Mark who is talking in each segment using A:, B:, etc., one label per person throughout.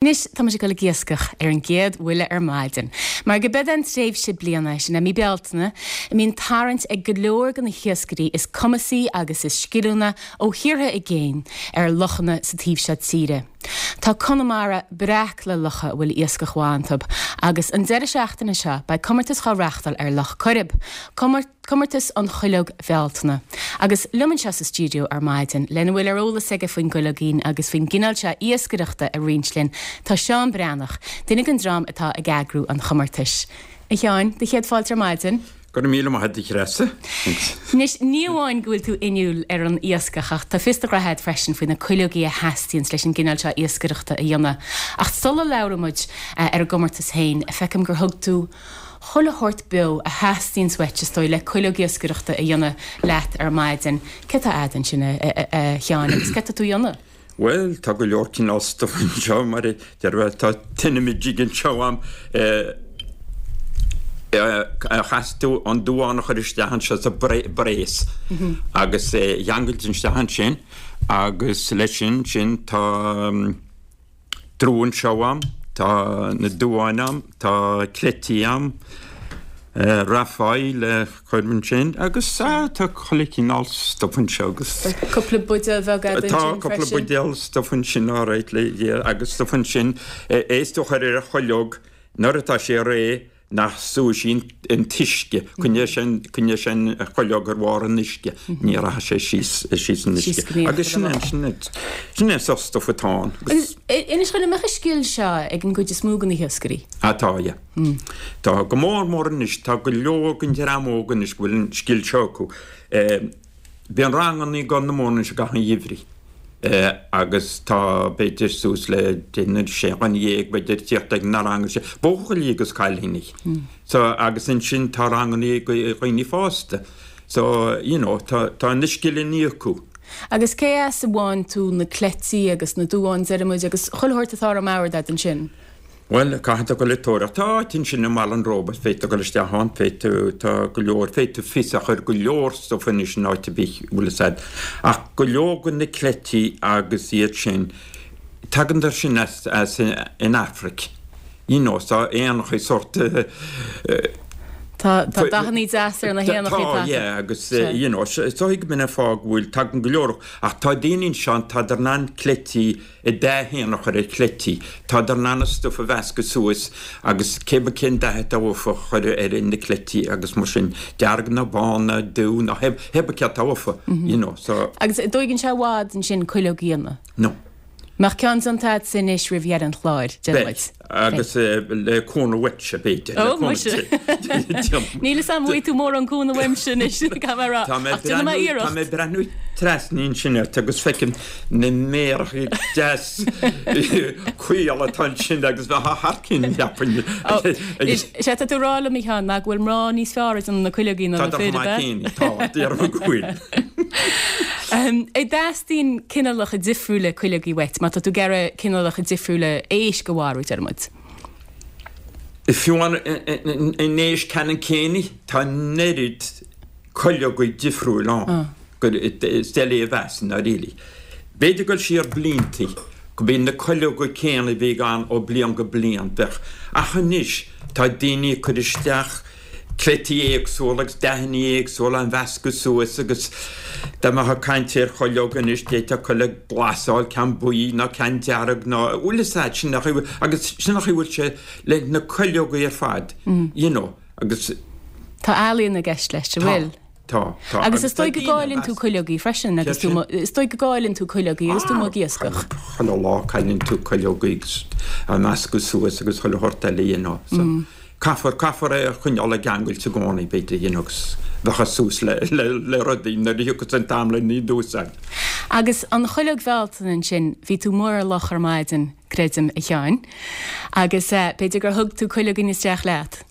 A: Anois tá muid ag dul ag iascach ar an gcéad bhuille ar maidin, mar go b'eod an tréimhse bliana, sin é mí Bealtaine, a mbíonn tarraingt ag go leor de na hiascairí is cumasaí agus is sciliúna ó thíortha i gcéin ar lochanna sa taobh seo tíre. Tá Conamara breac le locha a bhfuil iascach mhaith iontu agus an deireadh seachtaine seo beidh comórtas dhá reachtáil ar Loch Coirib, Comórtas an Chuileog Bhealtaine. Agus liom anseo sa stiúideo ar maidin, lena bhfuil ar eolas aige faoin gcuileoigín agus faoin gcineál seo iascaireachta a roinnt linn, tá Seán Breathnach, duine den dream atá ag eagrú an chomórtais. A Sheáin, do chéad fáilte ar maidin.
B: Go raibh míle maith agat a Threasa.
A: Anois, ní amháin go bhfuil tú inniúil ar an iascach ach tá fios do ghraithe agat freisin faoi na cuileogaí a theastaíonns leis an gcineál seo iascaireachta a dhéanamh. Ach sula labhraíonn muid ar an gcomórtas féin, feicim gur thug tú chuile shórt beo a theastaíonns uait, is dóigh, le cuileog iascaireachta a dhéanamh leat ar maidin. Céard atá a'd ansin, a Sheáin, agus céard atá tú a dhéanamh?
B: Bhuel, tá go leor cineál stuif anseo, mar a déarfá, tá tine jig anseo a'm, caithfidh tú an duán a chur isteach anseo sa brace agus é a cheangailt isteach ansin agus leis sin, sin tá. Drú anseo a'm, tá na duáin a'm, tá cleití a'm, rafáí le cur ansin agus tá chuile chineál stuif anseo agus.
A: Tá cúpla buidéal bheag a'd ansin
B: freisin. Tá cúpla buidéal stuif ansin alright le agus stuif ansin é is tú a chur ar an chuileog nuair atá sé réidh nach súfaidh sé an t-uisce, coinneoidh sé coinneoidh sé an chuileog ar bharr an uisce, ní rachaidh sé síos síos an uisce. Agus sin é sin é sin é an sórt stuif atá ann.
A: Agus inis dhom, an mbeadh an scil seo ag an gcuid is mó de na hiascairí?
B: Ah tá, yeah. Tá, go mór mór anois, tá go leor den dream óg anois go bhfuil an scil seo acu. Bíonn ranganna i gCorr na Móna anois i gcaitheamh an gheimhridh agus tá b'fhéidir suas le deich nó sé dhuine dhéag b'fhéidir ag tíocht ag na ranganna sin, buachaillí agus cailíní. So agus ansin tá ranganna ag dhaoine fásta. So you know tá tá na scileanna acu.
A: Agus cé as a bhfaigheann tú na cleití agus na duáin deir muid agus chuile shórt atá ar an mbord a'd ansin?
B: Bhuel, caithfidh tú dul ag tóraíocht. Tá áit ansin i mBaile an Róba, féadfaidh tú dul isteach ann, féadfaidh tú, tá go leor, féadfaidh tú fios a chur go leor stuif anois in áit ar bith, bhfuil fhios a'd. Ach go leor de na cleití agus iad sin, tagann siad sin as, as in Afraic. You know, tá éanachaí sórt
A: Tá, tá dathannaí deas ar na héanachaí
B: atá. Tá, yeah, agus, you know, is dóigh go mb'in an fáth go bhfuil, tagann go leor, ach tá daoine anseo, tádar in ann cleití, an dath féin a chur ar chleití. Tádar in ann an stuif a mheascadh suas agus cé bith cén dath atá uafa a chur ar na cleití agus mar sin, dearg nó bán nó dubh nó hé bith céard atá uafa, you know, so.
A: Agus an dtóigeann sé i bhfad ansin cuileog a dhéanamh?
B: No.
A: Mbeadh ceann déanta a'dsa anois roimh dheireadh an chláir, deir
B: muid. Beidh. Agus le cúnamh uaitse, b'fhéidir.
A: Ó, muise. Níl fhios a'm an bhfaighidh tú mórán cúnamh uaimse anois, caithfidh mé a rá. Ach déanfaidh mé iarracht.
B: Tá mé ag breathnú trasna ansin ort agus feicim na méaracha deas caol atá ansin agus bheifeá thar cionn, cheapfainn.
A: Is é atá tú a rá liom, a Sheáin, ná go bhfuil mná níos fearr ag déanamh na cuileogaí ná na fir, ab
B: ea? Tá, déarfainn go bhfuil.
A: An dteastaíonn cineálacha difriúla cuileogaí uait má tá tú ag iarraidh cineálacha difriúla éisc a mharú, deir muid?
B: Fiú an éisc ceannann céanna, tá an oiread cuileogaí difriúil ann gur is doiligh a mheas i ndáiríre. B'fhéidir dul siar blianta go mbíonn na cuileoga céanna a bhí ann ó bliain go bliain, bheadh, ach anois tá daoine ag cur isteach cleití éagsúla agus dathanna éagsúla á mheascadh suas agus dá mbeifeá ag caint ar chuileog anois d'fhéadfá cuileog glas a fháil, ceann buí nó ceann dearg nó bhfuil fhios a'd, sin an chaoi agus sin an chaoi a bhfuil sé le na cuileogaí ar fad, you know, agus.
A: Tá ealaíon i gceist leis, an bhfuil?
B: Tá,
A: tá. Agus is dóigh go gcailleann tú cuileogaí freisin agus tú, is dóigh go gcailleann tú cuileogaí agus tú amuigh ag iascach.
B: Chuile lá cailleann tú cuileogaí agus á meascadh suas agus chuile shórt eile, you know. So caithfear, caithfear é a choinneáil i gceangailt i gcónaí, b'fhéidir, you know, agus bheadh suas le, le, le rudaí nuair a thiocfas an t-am le n-iad a úsáid.
A: Agus an chuileog Bhealtaine ansin, bhí tú amuigh ar loch ar maidin, creidim, a Sheáin, agus b'fhéidir gur thug tú cuileoigín isteach leat?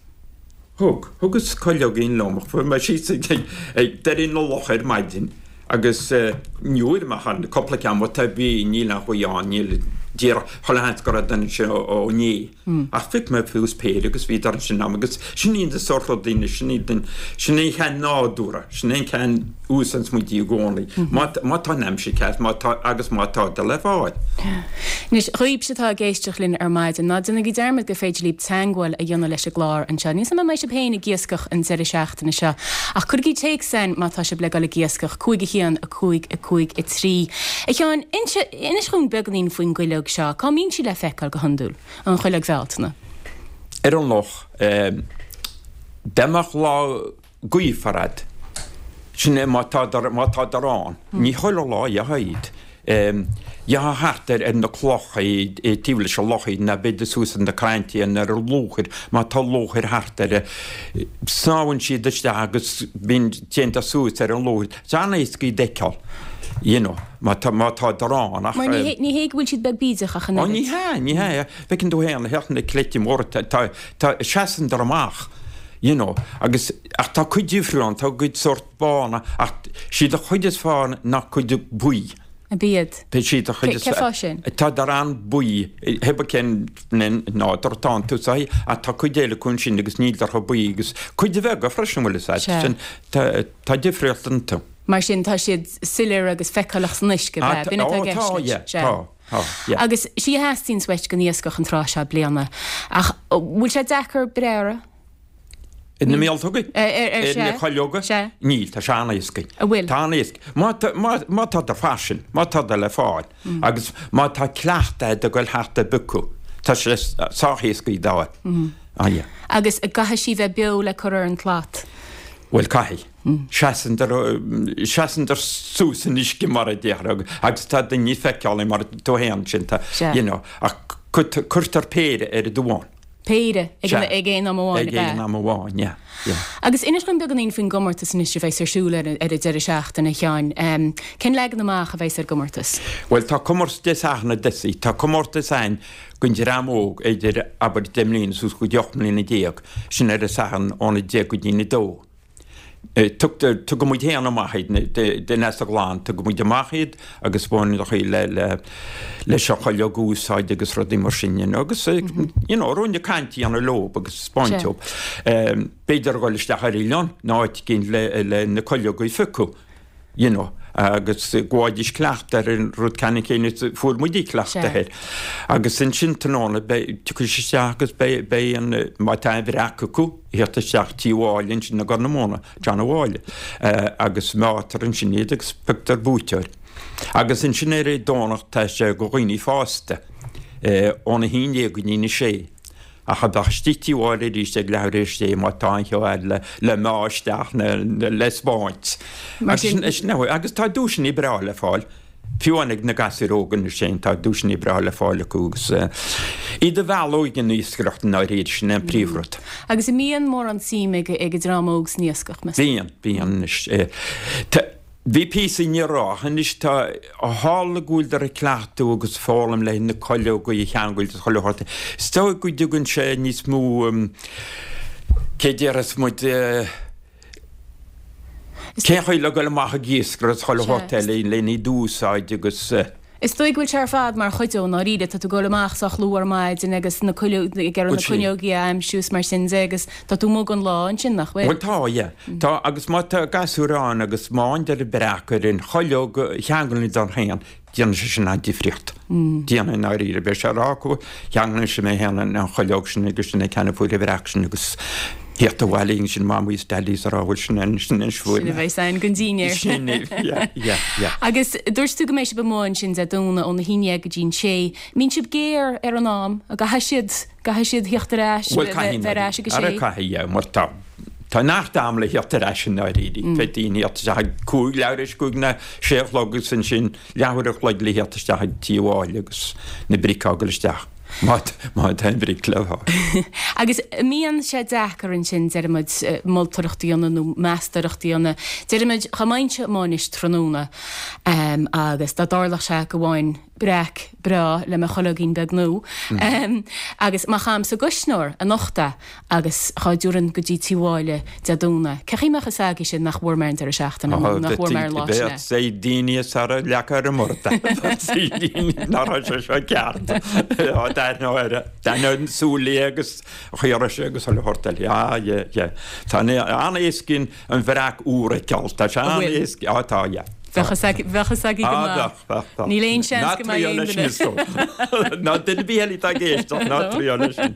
B: Thug. Thugas cuileoigín liom. Chuaigh mé síos ag deireadh na locha ar maidin agus ní bhfuair mé ach cúpla ceann but bhí, níl aon ghaoth ann, níl. Díreach, chuile sheans go raibh duine ansin ó inné. Ach phioc mé suas péire agus bhíodar ansin a'm agus sin iad na sórt rudaí anois, sin iad an, sin é an ceann nádúrtha, sin é an ceann úsáideanns muid i gcónaí. Má, má tá an aimsir ceart, má tá, agus má tá le fáil.
A: Anois, dhaoibhse atá ag éisteacht linn ar maidin, ná déanaigí dearmad gur féidir libh teagmháil a dhéanamh leis an gclár anseo. Níl 's a'm an mbeidh sibh féin ag iascach an deireadh seachtaine seo, ach cuirigí téacs againn má tá sibh le dul ag iascach, 5 1 5 5 3. A Sheáin, inis dhúinn beagáinín faoin gcuileog seo. Cá mbíonn sí le feiceáil go hiondúil, an chuileog Bhealtaine?
B: Ar an loch. Dá mbeadh lá gaofar a'd, sin é má tádar, má tádar ann. Ní chuile lá a gheofá iad. Gheofá thart ar na clocha, taobh leis an loch iad, nó b'fhéidir suas ar na crainnte nó ar an luachair, má tá luachair thart air. Snámhann siad isteach agus bíonn, téann suas ar an luachair. Tá sé an-éasca iad a fheiceáil, you know, má tá, má tádar ann
A: ach. Mar ní hé, ní hé go bhfuil siad beag bídeach ach an
B: oiread. Ó ní hea, ní hea. Feiceann tú féin, theacht na cleite móra, tá, tá, tá, seasann dar amach, you know, agus, ach tá cuid difriúil ann, tá cuid sórt bána ach siad an chuid is fearr ná cuid buí.
A: Ab iad?
B: Tá siad an chuid is
A: Cé fáth sin?
B: Tádar an-bhuí, hé cén nádúr atá iontu so ach tá cuid eile acu ansin agus níldar chomh buí agus cuid bheaga freisin bhfuil fhios a'd, sin, tá, Tá difríocht iontu.
A: Mar sin, tá siad soiléir agus feiceálach san uisce, ab ea? B'in atá i gceist
B: leis. Tá, yeah, tá, tá,
A: yeah. Agus sí a theastaíonns uait don iascach an tráth seo bliana. Ach bhfuil sé deacair breith orthu?
B: Ar na míoltóga? Ar na cuileoga?
A: Sea.
B: Níl, tá sé an-éasca.
A: An bhfuil?
B: Tá an-éasca. Má tá, má, má tádar fairsing, má tádar le fáil, agus má tá cleachtadh a'd ag goil thart ag piocadh, tá sé sách éasca iad a fháil.
A: Ah, yeah. Agus caithfidh sí bheith beo le cur ar an tslat?
B: Bhuel, caithfidh. Seasann dar, seasann dar suas san uisce mar a déarfá agus tá daoine feiceálaí mar tú féin sin, tá, you know, ach cuirtear péire ar an duán.
A: Péire ag an, ag aon am amháin,
B: ab ea? Ag aon am amháin, yeah, yeah.
A: Agus inis dom beagáinín faoin gcomórtas anois a bheas ar siúl ar an deireadh seachtaine, a Sheáin. Cén leagan amach a bheas ar an gcomórtas?
B: Bhuel, tá comórtas Dé Sathairn i dtosaigh, tá comórtas ann don dream óg idir, abair, 10 mbliana suas go dtí 18 mbliana, sin ar an Satharn óna 10 go dtí'n 2. Tugtar, tugann muid féin amach iad, den Easa Ghlan, tugann muid amach iad agus baineann chaoi le, le, leis an chuileog a úsáid agus rudaí mar sin, you know, agus, you know, ruainne cainte a dhéanamh leob agus spáint dóibh. B'fhéidir a dhul isteach ar oileán nó áit éigin le, le na cuileoga a phiocadh. you know, agus go bhfaighidís cleachtadh ar an rud ceannann céanna is a fuair muide cleachtadh air. Agus ansin tráthnóna beidh, tiocfaidh siad isteach agus beidh, beidh an, má tá an bhreac acu, theacht isteach Tí Mháille ansin i gCorr na Móna, John a' Mháille, agus meátar ansin iad agus pioctar buaiteoir. Agus ansin ar an Domhnach tá sé go dhaoine fásta, óna 11 go dtí'n 6. Ach a bheadh istigh Tí Mháille arís ag leathuair théis sé má tá an cheo fhad le le meá isteach ná le spáint.
A: Mar sin.
B: Agus sin é. Agus tá duaiseanna breá le fáil. Fiú amháin ag na gasúir óga anois féin tá duaiseanna breá le fáil acu agus iad a mhealladh ag an iascaireacht i ndáiríre, sin é an príomhrud.
A: Agus an mbíonn mórán suim ag ag an dream óg san iascach,
B: meas tú? Bíonn, bíonn anois. Bhí píosa ní raibh, ach anois tá, tharla go bhfuileadar ag cleachtadh agus foghlaim le na cuileoga a cheangal is chuile shórt. Is dóigh go dtugann sé níos mó, cé déarfas muid, cén chaoi le dhul amach ag iascaireacht is chuile shórt eile lena iad a úsáid agus.
A: Is dóigh go bhfuil sé ar fad mar chuid dó, i ndáiríre. Tá tú ag dul amach sách luath ar maidin agus na cuileoga, ag iarraidh na cuileogaí a aimsiú is mar sin de agus tá tú amuigh don lá ansin, nach bhfuil?
B: Bhuel tá, yeah. Tá, agus má tá gasúir ann agus má fhaigheann an breac ar an chuileog a cheanglann don féin, déanann sé sin an-difríocht. Déanann i ndáiríre. Beidh sé ag rá acu, cheanglaigh mé féin an chuileog sin agus sin é ceann a fuair an bhreac sin agus theacht abhaile ansin Mamaí is Daidí is a rá bhuel sin é sin é
A: fuair Sin a bheidh againn don dinnéar.
B: Sin é, yeah, yeah, yeah.
A: Agus dúirt tú go mbeidh sibh amuigh ansin Dé Domhnaigh óna haon dhéag go dtí an sé. Mbíonn sibh géar ar an am? An gcaithfidh siad, gcaithfidh siad theacht ar ais,
B: Bhuel caithfidh,
A: bheith ar ais ag a sé?
B: Ara caithfidh, yeah, mar tá, tá neart am le theacht ar ais i ndáiríre. Beidh daoine theacht isteach ag cúig, leathuair théis cúig nó sé a chlog agus ansin leathuair a chloig le theacht isteach ag Tí Mháille agus na bric á gcur isteach. Má tá an bhric le
A: fáil. Agus an mbíonn sé deacair ansin, deirimid, moltóireacht a dhéanamh nó meastóireacht a dhéanamh. Deirimid, dá mbeinnse amuigh anois tráthnóna agus dá dtarlódh sé go bhfaighinn. breac breá le mo chuileoigín beag nua agus má chaithim sa gcuisneoir anocht é agus chá dtiúrfainn go dtí Tí Mháille Dé Domhnaigh, cé chaoi mbeadh fhios agaibhse nach bhfuair mé ar an deireadh seachtaine nó nach bhfuair mé ar an lá sin é?
B: Beidh daoine is ara leagtha ar an mbord. Beidh nach raibh sé seo ceart. D'aithneodh air, d'aithneodh na súile agus chaoi a raibh sé agus chuile shórt eile. Ah, yeah, yeah. Tá an-éasca an bhreac úr a fheiceáil. Tá sé an-éasca, ah tá, yeah.
A: Bheadh fhios agaibh go maith. Níl aon seans go mbeidh aon
B: duine. Ná duine ar bith eile atá ag éisteacht, ná triail leis sin.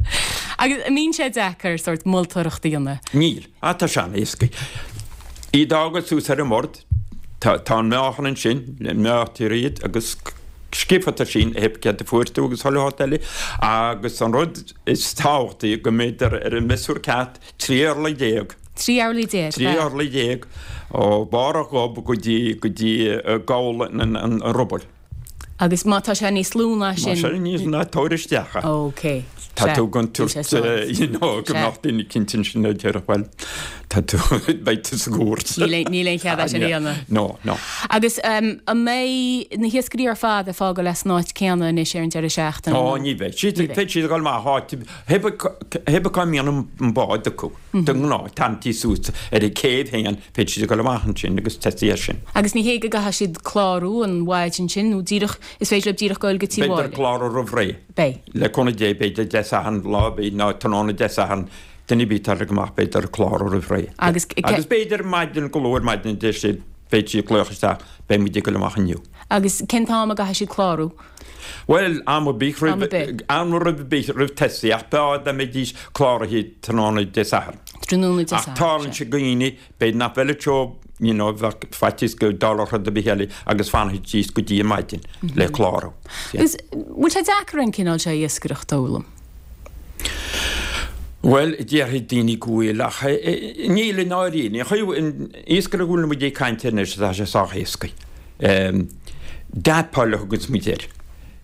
A: Agus an mbíonn sé deacair sórt moltóireacht a dhéanamh?
B: Níl. Ah, tá sé an-éasca. Iad a fhágáil suas ar an mbord, tá an meáchan ansin, meáitear iad agus scríobhfaidh tú sin céard a fuair tú agus chuile shórt eile. Agus an rud is tábhachtaí go mbeidh ar an miosúr ceart 13
A: orlaí. 13 orlaí.
B: 13 orlaí ó bharr an ghob go dtí go dtí gabhal an rubaill.
A: Agus má tá sé níos lú ná sin.
B: Má tá sé níos ná tabhair isteach
A: é. Ok.
B: Tá tú ag tabhairt you know go mbeadh duine eicínt ansin a déarfadh bhuel tá tú beidh tú sa gcúirt.
A: Níl aon chead é sin a dhéanamh.
B: No, no.
A: Agus an mbeidh na hiascairí ar fad ag fágáil as an áit céanna anois ar an deireadh seachtaine?
B: Ó ní bheidh. Beidh siad ag dul amach áit Hé bith cá mbíonn an bád acu, de ghnáth, tarraingtí suas ar an céibh féin, féadfaidh siad a dhul amach ansin agus tosaí air sin.
A: Agus ní hé go gcaithfidh siad clárú an mhaidin sin, nó díreach, is féidir leo díreach goil go Tí
B: Mháille. Beidh clárú roimh ré.
A: Beidh.
B: Le cúnamh Dé, b'fhéidir Dé Sathairn, lá ar bith, nó tráthnóna Dé Sathairn, duine ar bith atá ag dul amach, beidh orthu clárú roimh ré.
A: Agus.
B: Agus b'fhéidir maidin, go luath ar maidin, deir siad, féadfaidh siad glaoch isteach, beidh muid ag dul amach inniu.
A: Agus cén t-am a gcaithfidh siad clárú?
B: Bhuel, am ar bith roimh, am ar bith roimh tosaí, ach b'fhearr dá mbeidís cláraithe tráthnóna Dé Sathairn.
A: Tráthnóna Dé Sathairn,
B: Ach tarlaíonn sé dhaoine, b'fhéidir nach bhfeilfeadh siad, you know, bheadh faitíos go dtarlódh rud ar bith eile agus fanfaidís go dtí an maidin le clárú.
A: Agus bhfuil sé deacair an cineál seo iascaireachta a fhoghlaim?
B: Bhuel, déarfaidh daoine go bhfuil, ach níl i ndáiríre. An chaoi, an iascaireacht a bhfuil muid ag caint air anois, tá sé sách éasca. Dab pole a thuganns muid air.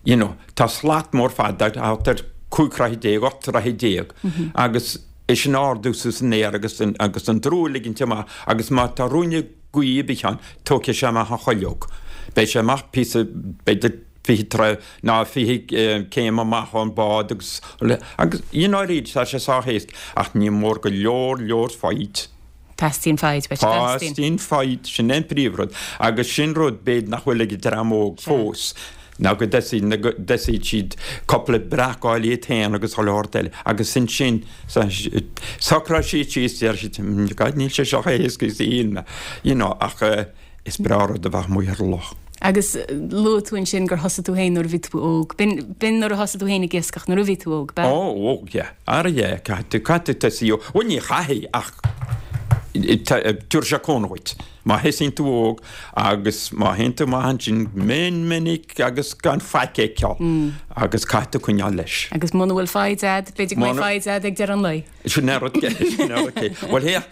B: You know, tá slat mór fada, thart ar 15 troithe, 18 troithe, agus é sin a ardú suas san aer agus an, agus an drú a ligint amach agus má tá ruainne gaoithe ar bith ann, tógfaidh sé amach an chuileog. Beidh sé amach píosa, b'fhéidir 20 troigh ná 20 céim amach ón bád agus, agus i ndáiríre tá sé sách éasca ach ní mór go leor leor foighid.
A: Teastaíonn foighid, beidh
B: teastaíonn. Teastaíonn foighid, sin é an príomhrud. Agus sin rud, b'fhéidir, nach bhfuil ag an dream óg fós, ná go dtosaíonn siad cúpla breac a fháil iad féin agus chuile shórt eile. Agus ansin, socróidh siad síos, deir siad, God, níl sé seo chomh héasca is a shíl mé, you know, ach is breá rud a bheith amuigh ar an loch.
A: Agus luaigh tú ansin gur thosaigh tú féin nuair a bhí tú óg. B'in nuair a thosaigh tú féin ag iascach, nuair a bhí tú óg,
B: ab ea? Ó, óg, yeah. Ara, yeah, caithfidh tú, caithfidh tú tosaí óg. Bhuel, ní chaithfidh ach tabharfaidh sé cúnamh dhuit. Má thosaíonn tú óg agus má théann tú amach ansin mion minic agus gan faic a fheiceáil agus caithfidh tú coinneáil leis.
A: Agus muna bhfuil foighid a'd, b'fhéidir go mbeidh foighid a'd ag deireadh an lae.
B: Sin é rud, sin é rud. Bhuel, féach,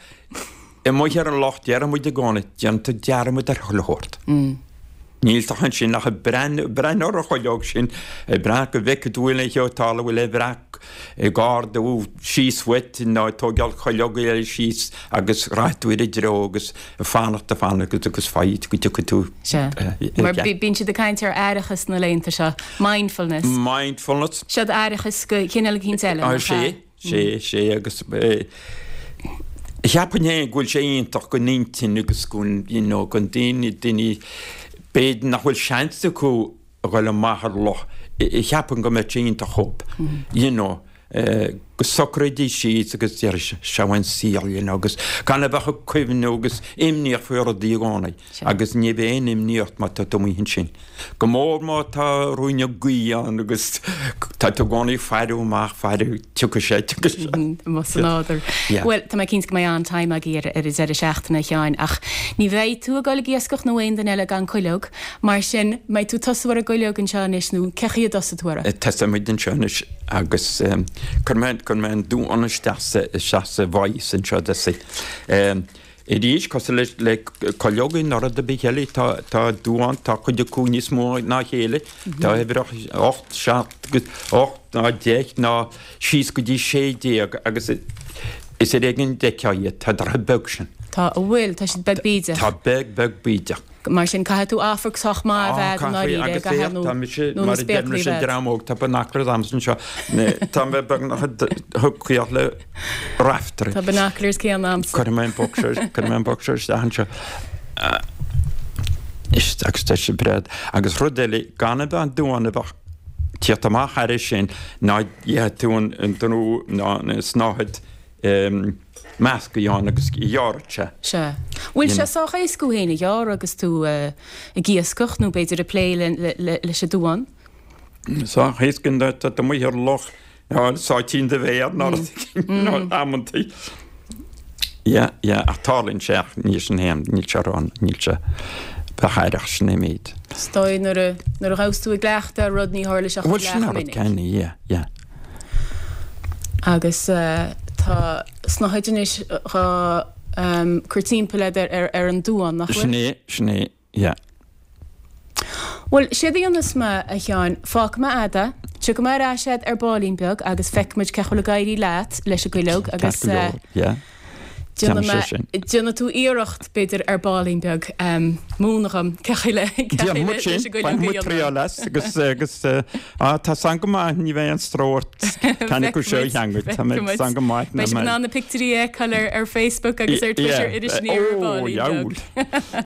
B: Amuigh ar an loch, deireann muid i gcónaí, déanann tú dearmad ar chuile shórt. Níl tú ansin ach ag breathnú, breathnú ar an chuileog sin, ag breathnú go bhfeicfidh tú bhfuil aon cheo ag tarlú, bhfuil aon bhreac ag ardú síos uait nó ag tógáil cuileog eile síos agus rachaidh tú ar a dtreo agus ag fanacht, ag fanacht agus foighid go dtiocfaidh tú.
A: Sea. Mar bíonn siad ag caint ar aireachas na laethanta seo, mindfulness.
B: Mindfulness.
A: Seod aireachas de chineál eicínt eile,
B: nach ea? Sea. Sea, sea, agus cheapfainn féin go bhfuil sé iontach don intinn agus gon, you know, gon daoine, daoine, b'fhéidir nach bhfuil seans acu a dhul amach ar loch, cheapfainn go mbeadh sé iontach dhób, you know, go socróidís síos agus déarfaidís, seo an saol, you know, agus gan a bheith ag cuimhniú agus imníoch faoi rudaí i gcónaí agus ní bheidh aon imní ort má tá tú amuigh ansin. Go mór má tá ruainne gaoithe ann agus tá tú i gcónaí ag faire amach, faire, tiocfaidh sé, tiocfaidh
A: sé. Amuigh san nádúr. Bhuel, tá mé cinnte go mbeidh an-time agaibh ar an deireadh seachtaine, a Sheáin, ach ní bheidh tú ag dul ag iascach nó aon duine eile gan cuileog. Mar sin, mbeidh tú ag tosú ar an gcuileog anseo anois nó cé chaoi a dtosóidh tú
B: uirthi? Tosóidh muid anseo anois agus cuirfidh mé, cuirfidh mé an duán isteach sa, isteach sa vise anseo i dtosaigh. Arís, cosúil le cuileogaí nó rud ar bith eile, tá tá duán, tá cuid acu níos mó ná a chéile, tá uimhreach 8, 7 agus 8 ná 10 ná síos go dtí 16 agus is ar éigean a d'fheicfeá iad, tá siad beag sin.
A: Tá, a bhfuil, tá siad beag bídeach.
B: Tá beag, beag bídeach.
A: Mar sin, caithfidh tú amharc sách maith a bheith agat i ndáiríre,
B: Agus féach, tá mise,
A: nó na
B: mar a
A: spéaclaí
B: deir mise
A: a bheith.
B: dream óg, tá binoculars a'msa anseo. Tá mé beagnach ag caoch le raiftearaí.
A: Tá binoculars céanna a'msa.
B: Cuirfidh mé an boc seo, cuirfidh mé an boc seo isteach anseo. Is, agus tá sé breá. Agus rud eile, gan a bheith an duán a bheith tíocht amach thairis sin, ná gheobhaidh tú an an drú ná an snáthaid measctha ann agus ghearrfadh sé.
A: Sea. Bhfuil sé sách éasca thú féin a ghearradh agus tú ag iascach nó b'fhéidir ag plé leis an duán?
B: Sách éasca nuair atá tú amuigh ar loch sáitín do mhéar nó rud éigin amantaí. Yeah, yeah, ach tarlaíonn sé ach níl sin féin, níl sé ró, níl sé bheith aireach sin é méid.
A: Is dóigh nuair a nuair a ghabhas tú i gcleachtadh ar rud ní tharla sé ach
B: Bhuel sin an rud céanna, yeah, yeah.
A: Agus tá snáthaid anois dhá cur timpeall agat ar ar an duán, nach bhfuil?
B: Sin é, sin é, yeah.
A: Bhuel, séard a dhéanfas mé, a Sheáin, fágfaidh mé a'd é, tiocfaidh mé ar ais a'd ar baillín beag agus feicfidh muid cén chaoi a bhfuil ag éirí leat leis an gcuileog agus
B: Ceart go leor, yeah.
A: déanfaidh mé, déanfaidh tú iarracht, b'fhéidir, ar baillín beag, múineadh dhom cén chaoi le, cén chaoi
B: Déanfaidh muid
A: leis an
B: sin,
A: gcuileog a
B: bainfidh muid
A: dhéanamh.
B: triail as agus, agus, ah, tá san go maith, ní bheidh aon stró ort ceann acu seo a cheangal, tá mé san go maith,
A: Beidh sibh in ann na pictiúirí a fheiceáil ar, ar Facebook agus ar Twitter
B: Yeah,
A: Iris Aniar ar
B: oh,
A: baillín beag.
B: dheabhail.